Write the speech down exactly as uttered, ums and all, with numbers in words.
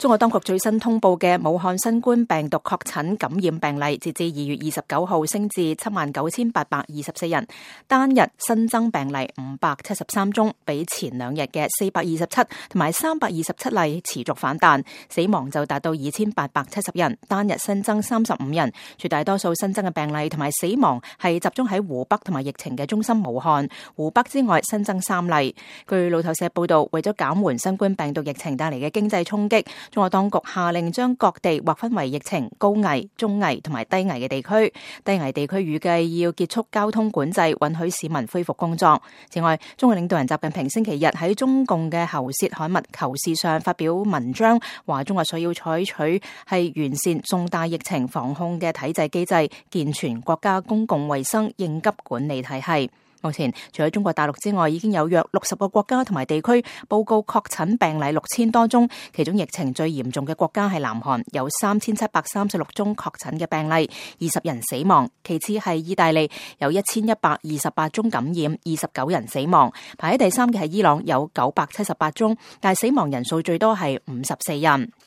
中國當局最新通報嘅武漢新冠病毒確診感染病例，截至二月二十九號升至七萬九千八百二十四人，單日新增病例五百七十三宗，比前兩日嘅四百二十七同埋三百二十七例持續反彈，死亡就達到二千八百七十人，單日新增三十五人，絕大多數新增嘅病例同埋死亡係集中喺湖北同埋疫情嘅中心武漢，湖北之外新增三例。據路透社報道，為咗減緩新冠病毒疫情帶嚟嘅經濟衝擊，中國當局下令將各地劃分為疫情高危、中危同埋低危嘅地區。低危地區預計要結束交通管制，允許市民恢復工作。此外，中國領導人習近平星期日喺中共嘅喉舌刊物《求是》上發表文章，話中國需要採取係完善重大疫情防控嘅體制機制，健全國家公共衛生應急管理體系。目前，除咗中國大陸之外，已經有約六十個國家同埋地區報告確診病例六千多宗，其中疫情最嚴重嘅國家係南韓，有三千七百三十六宗確診嘅病例，二十人死亡。其次係意大利，有一千一百二十八宗感染，二十九人死亡。排喺第三嘅係伊朗，有九百七十八宗，但係死亡人數最多係五十四人。